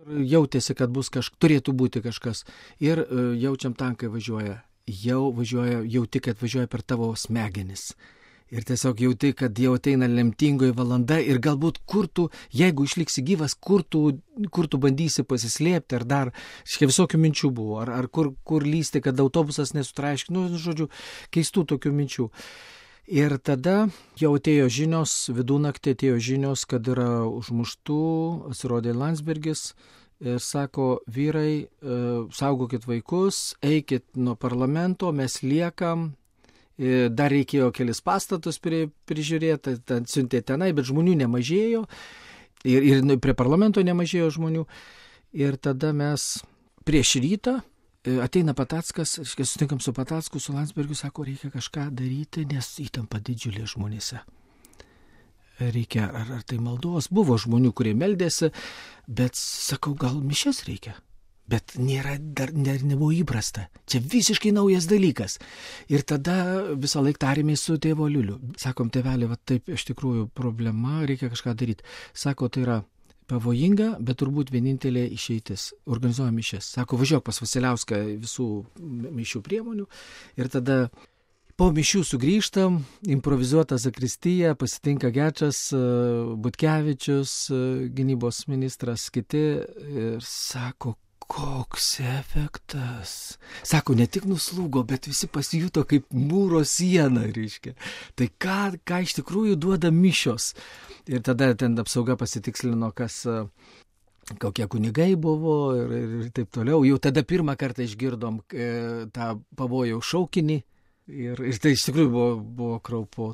Jautėsi, kad turėtų būti kažkas. Ir jaučiam tankai važiuoja. Jauti, kad važiuoja per tavo smegenis. Ir tiesiog jauti, kad jau ateina lemtingoji valanda ir galbūt jeigu išliksi gyvas, kur tu bandysi pasislėpti, ar dar, visokių minčių buvo, ar kur lysti, kad autobusas nesutraiški, žodžiu, keistų tokių minčių. Ir tada jau atėjo žinios, vidunaktį atėjo žinios, kad yra užmuštų, pasirodė Landsbergis ir sako, vyrai, saugokit vaikus, eikit nuo parlamento, mes liekam. Dar reikėjo kelis pastatus prižiūrėti, siuntė tenai, bet žmonių nemažėjo ir prie parlamento nemažėjo žmonių. Ir tada mes prieš rytą ateina Patackas, sutinkam su Patacku, su Landsbergiu, sako, reikia kažką daryti, nes įtampa didžiulė žmonėse. Reikia, ar tai maldos, buvo žmonių, kurie meldėsi, bet sakau, gal mišias reikia. Bet dar nebuvo įprasta. Čia visiškai naujas dalykas. Ir tada visą laiką tarėmės su tėvo Liuliu. Sakom, tėvelė, va taip iš tikrųjų problema, reikia kažką daryti. Sako, tai yra pavojinga, bet turbūt vienintelė išeitis. Organizuojam mišias. Sako, važiuok pas Vasiliauską visų mišių priemonių. Ir tada po mišių sugrįžtam, improvizuota zakristija, pasitinka Gečas, Butkevičius, gynybos ministras, kiti ir sako, koks efektas. Sako, ne tik nuslūgo, bet visi pasijuto kaip mūro siena, reiškia. Tai ką iš tikrųjų duoda mišios. Ir tada ten apsauga pasitikslino, kokie kunigai buvo ir taip toliau. Jau tada pirmą kartą išgirdom tą pavojaus šaukinį. Ir tai iš tikrųjų buvo kraupu.